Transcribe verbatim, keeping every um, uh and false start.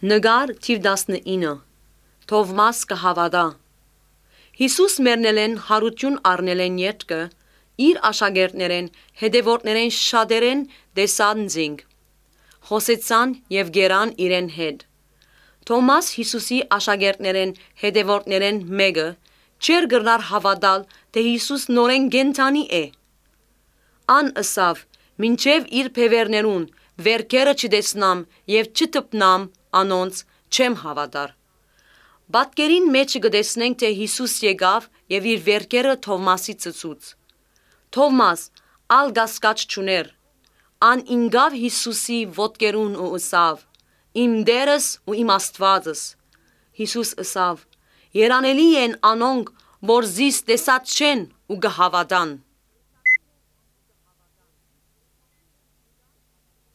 Նկար թիվ տասնինը Թովմաս կհավատա Հիսուս մեռնելեն հարություն առնելեն ետքը իր աշակերտներեն հետևորդներեն շատերեն տեսան զինք խոսեցան եւ գերան իրեն հետ Թոմաս Հիսուսի աշակերտներեն հետևորդներեն մեկը չեր գրնար հավատալ թե Հիսուս նորեն գենթանի է Ան ըսավ մինչև իր փևերներուն վերքերը չտեսնամ եւ չտպնամ անոնց չեմ հավատար Պատկերին մեջ կտեսնենք թե Հիսուս եկավ եւ իր վերքերը Թովմասի ծծուց Թովմաս ալ գասկած չուներ ան ինգավ Հիսուսի ոտքերուն ու ըսավ Իմ Տերս ու իմ Աստվածս Հիսուս ըսավ Երանելի են անոնք որ զիս տեսած չեն ու կհավատան